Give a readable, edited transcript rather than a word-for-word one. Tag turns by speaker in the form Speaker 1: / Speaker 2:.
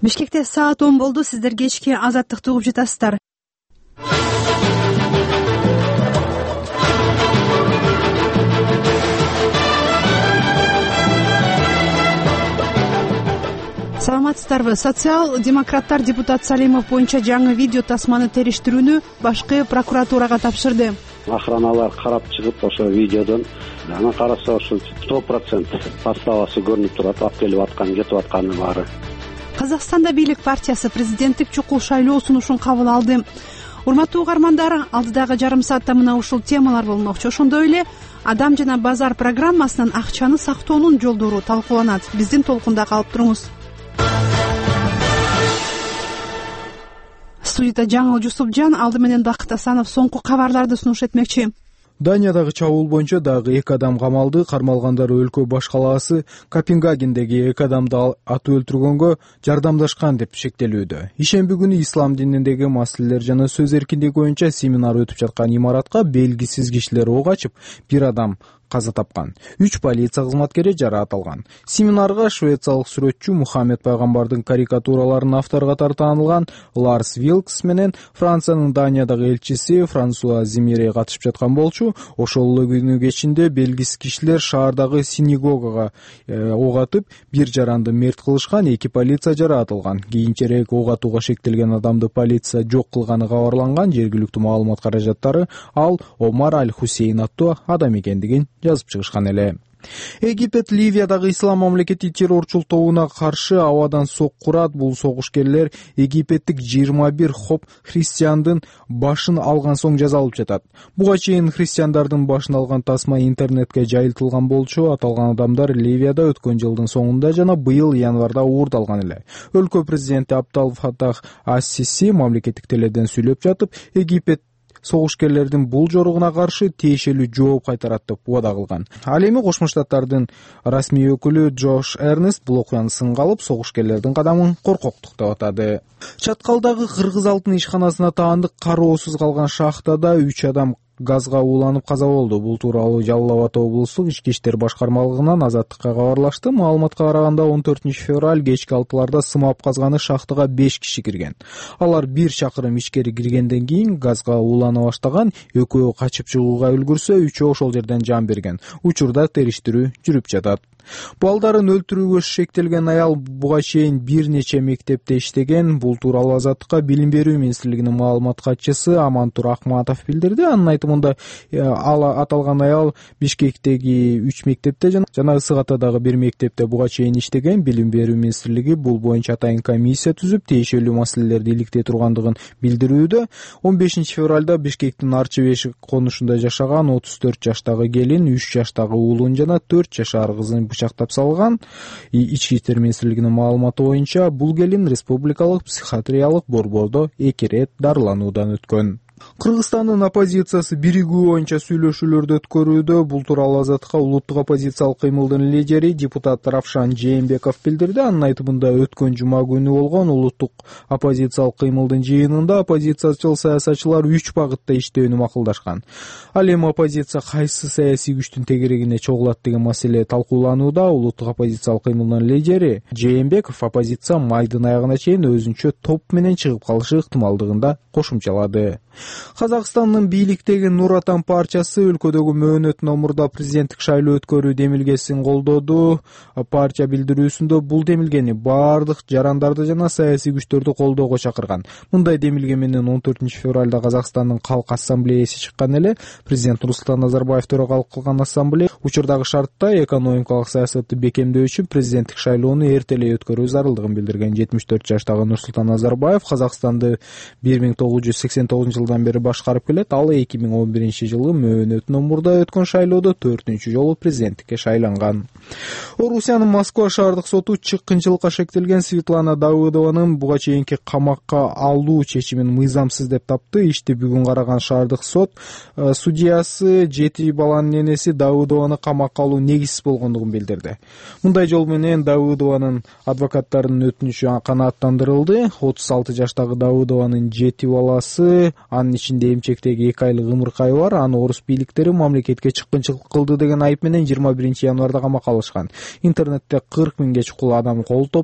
Speaker 1: Бишкекте саат 10 болду. Сиздер кечки Азаттыкты угуп жатасыздар. Саламатсыздарбы? Социал-демократтар депутат Салимов боюнча жаңы видео тасманы териштирүүнү башкы прокуратурага тапшырды.
Speaker 2: Охраналар карап чыгып ошо видеодон анан караса ошо 100% заставасы көрүнүп турат, ап келип атканы, кетип атканы баары.
Speaker 1: Казакстанда бийлик партиясы президенттик чукул шайлоо сунушун кабыл алды. Урматтуу угармандар, алдыдагы жарым саатта мына ушул темалар болмокчу. Ошондой эле Адам жана базар программасынан акчаны сактоонун жолдору талкууланат. Биздин толкунда калып туруңуз. Студияда Жаңыл Жусупжан, алды менен Бакыт Асанов соңку кабарларды сунуш этмекчи.
Speaker 3: Даниядагы чабуул боюнча дагы 2 адам камалды. Кармалгандар өлкө баш калаасы Копенгагендеги 2 адамды атып өлтүргөнгө жардамдашкан деп шектелүүдө. Ишемби күнү ислам дининдеги маселелер жана сөз эркиндиги боюнча семинар өтүп жаткан имаратка белгисиз кишилер ок ачып, 1 адам каза тапкан, 3 полиция кызматкери жараат алган. Семинарга швециялык сүрөтчү Мухаммед пайгамбардын карикатураларынын автору катары таанылган Ларс Вилкс менен Франциянын Даниядагы элчиси Франсуа Зимире катышып жаткан болчу. Ошол эле күнү кечинде белгисиз кишилер шаардагы синагогага ок атып, 1 жаранды мерт кылышкан, 2 полиция жараат алган. Кийинчерээк ок атууга шектелген адамды полиция жок кылганы кабарланган. Жергиликтүү маалымат каражаттары ал Омар Аль-Хусейн аттуу адам экендигин жазып чыгышкан эле. Египет Ливиядагы ислам мамлекети террорчул тобуна каршы абадан сок курат. Бул согушкерлер египеттик 21 хоп христиандын башын алган соң жазалып жатат. Буга чейин христиандардын башын алган тасма интернетке жайылтылган болчу. Аталган адамдар Ливияда өткөн жылдын соңунда жана быйыл январда уурдалган эле. Өлкө президенти Абдал Фатах ас-Сиси мамлекеттик теледен сүйлөп жатып, Египет согушкерлердин бул жоругуна каршы тиешелүү жооп кайтарат деп убада кылган. Ал эми Кошмо Штаттардын расмий өкүлү Джош Эрнест бул окуяны сынга алып, согушкерлердин кадамын коркоктук деп атады. Чаткалдагы Кыргыз алтын ишканасына таандык кароосуз калган шахтада 3 адам газга ууланып каза болду. Бул тууралуу Жалал Абад облустук ички иштер башкармалыгынан Азаттыкка кабарлашты. Маалыматка караганда 14-февраль кечки 6-ларда сымап казганы шахтага 5 киши кирген. Алар 1 чакырым ичкери киргенден кийин газга уулана баштаган. Экөө качып чыгууга үлгүрсө, 3-өө ошол жерден жан берген. Учурда териштирүү жүрүп жатат. Балдарын өлтүрүүгө шектелген аял буга чейин бир нече мектепте иштеген. Бул тууралуу Азаттыкка Билим берүү министрлигинин маалымат катчысы Амантур Акматов билдирди. Анын айтымында аталган аял Бишкектеги 3 мектепте жана Ысык-Атадагы 1 мектепте буга чейин иштеген. Билим берүү министрлиги бул боюнча атайын комиссия түзүп, тиешелүү маселелерди иликтей тургандыгын билдирүүдө. 15-февралда Бишкектин Арчы Бешик конушунда жашаган 34 жаштагы келин 3 жаштагы уулун жана 4 жашар кызын бычактап салган. Ички иштер министрлигинин маалыматы боюнча бул келин республикалык психиатриялык борбордо 2 рет дарылануудан өткөн. Кыргызстандын оппозициясы биригүү боюнча сүйлөшүүлөрдү өткөрүүдө. Бул тууралуу Азаттыкка улуттук оппозициялык кыймылдын лидери депутат Равшан Жээнбеков билдирди. Анын айтымында өткөн жума күнү болгон улуттук оппозициялык кыймылдын жыйынында оппозициячыл саясатчылар 3 багытта иштөөнү макулдашкан. Ал эми оппозиция кайсы саясий күчтүн тегерегине чогулат деген маселе талкууланууда. Улуттук оппозициялык кыймылдын лидери Жээнбеков оппозиция майдын аягына чейин өзүнчө топ менен чыгып калышы ыктымалдыгын да кошумчалады. Казакстандын бийликтеги Нур Отан партиясы өлкөдөгү мөөнөтүнөн мурда президенттик шайлоо өткөрүү демилгесин колдоду. Партия билдирүүсүндө бул демилгени бардык жарандарды жана саясий күчтөрдү колдоого чакырган. Мындай демилге менен 14-февралда Казакстандын Калк ассамблеясы чыккан эле. Президент Нурсултан Назарбаев төрөгалык кылган ассамблея учурдагы шартта экономикалык саясатты бекемдөө үчүн президенттик шайлоону эртелей өткөрүү зарылдыгын билдирген. 74 жаштагы Нурсултан Назарбаев Казакстанды 1989-жылдан бери башкарып келет. Ал 2011-жылы мөөнөтүнөн мурда өткөн шайлоодо 4-жолу жолу президенттикке шайланган. Орусиянын Москва шаардык соту чыккынчылыкка шектелген Светлана Давыдованын буга чейинки камакка алуу чечимин мыйзамсыз деп тапты. Ишти бүгүн караган шаардык сот судьясы 7 баланын энеси Давыдованы камакка алуу негизсиз болгондугун билдирди. Мындай жол менен Давыдованын адвокаттарынын өтүнүчү канааттандырылды. 36 жаштагы Давыдованын 7 баласы, анын ичинде эмчектеги 2 айлык ымыркайы бар. Аны орус бийликтери мамлекетке чыккынчылык кылды деген айып менен 21 январда камакка алышкан. Интернетте 40 миңге чукул адам кол топ